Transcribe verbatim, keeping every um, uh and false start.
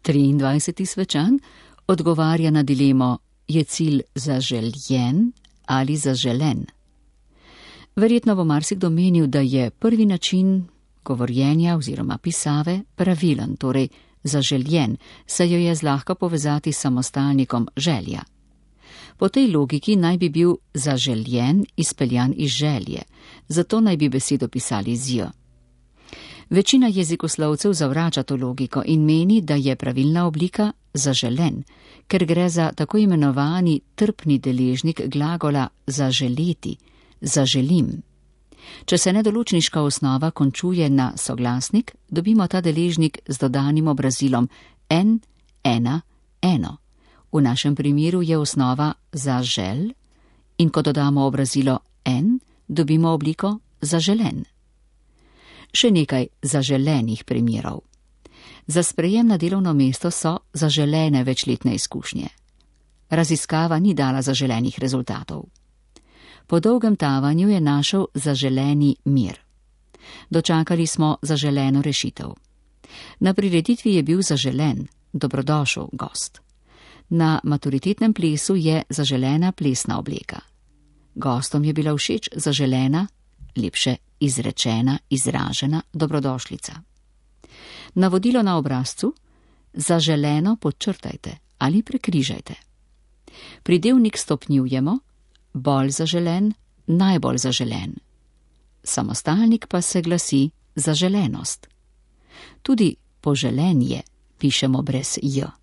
triindvajseti svečan odgovarja na dilemo, je cilj zaželjen ali zaželen. Verjetno bo marsikdo menil, da je prvi način govorjenja oziroma pisave pravilen, torej zaželjen, saj jo je zlahka povezati s samostalnikom želja. Po tej logiki naj bi bil zaželjen izpeljan iz želje, zato naj bi besedo pisali z j. Večina jezikoslovcev zavrača to logiko in meni, da je pravilna oblika zaželen, ker gre za tako imenovani trpni deležnik glagola zaželeti, zaželim. Če se nedoločniška osnova končuje na soglasnik, dobimo ta deležnik z dodanim obrazilom en, ena, eno. V našem primeru je osnova zažel in ko dodamo obrazilo en, dobimo obliko zaželen. Še nekaj zaželenih primerov. Za sprejem na delovno mesto so zaželene večletne izkušnje. Raziskava ni dala zaželenih rezultatov. Po dolgem tavanju je našel zaželeni mir. Dočakali smo zaželeno rešitev. Na prireditvi je bil zaželen, dobrodošel gost. Na maturitetnem plesu je zaželena plesna obleka. Gostom je bila všeč zaželena, lepše izrečena, izražena dobrodošlica. Navodilo na obrazcu: zaželeno podčrtajte ali prekrižajte. Pridevnik stopnjujemo: bolj zaželen, najbolj zaželen. Samostalnik pa se glasi zaželenost. Tudi poželenje pišemo brez j.